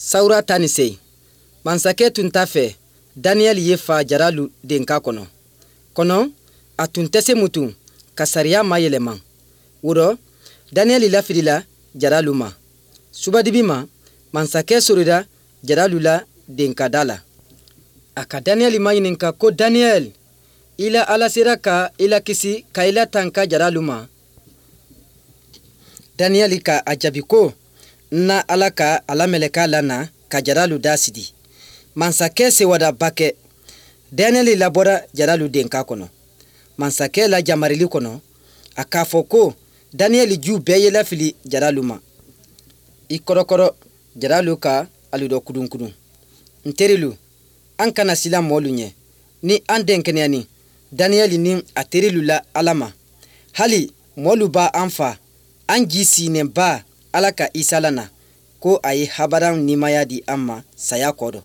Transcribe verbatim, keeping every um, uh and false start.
Sawura tan ni seyin. Masakɛ tun t'a fɛ Daniyɛli ye fa jaralu denka kɔnɔ. Kɔnɔ, a tun tɛ se mutu ka sariya mayɛlɛma. Wo rɔ, Daniyɛli lafilila jaralu ma. Subadibi ma, masakɛ sorora jaralu la denka da la. A ka Daniyɛli maɲininka ko: Daniyɛli, i la Ala sera ka i lakisi ka i latanka jaralu ma? Daniyɛli ka a jaabi ko: N na Ala ka a la mɛlɛkɛ lana ka jaralu da sidi. Masakɛ sewada bakɛ. Daniyɛli labɔra jaralu denka kɔnɔ. Masakɛ la jamarili kɔnɔ, a k'a fɔ ko Daniyɛli ju bɛɛ ye lafili jaralu ma. I kɔrɔkɔrɔ jaralu ka alu dɔ kudunkudun. N terilu, an kana silan mɔɔlu ɲɛ. Ni an denkɛnɛyani Daniyɛli ni a terilu la Ala ma, hali mɔɔlu b'an fa, an ji siinɛnba Ala ka Isa lana ko a ye habaran nimaya di an ma saya kɔ dɔ.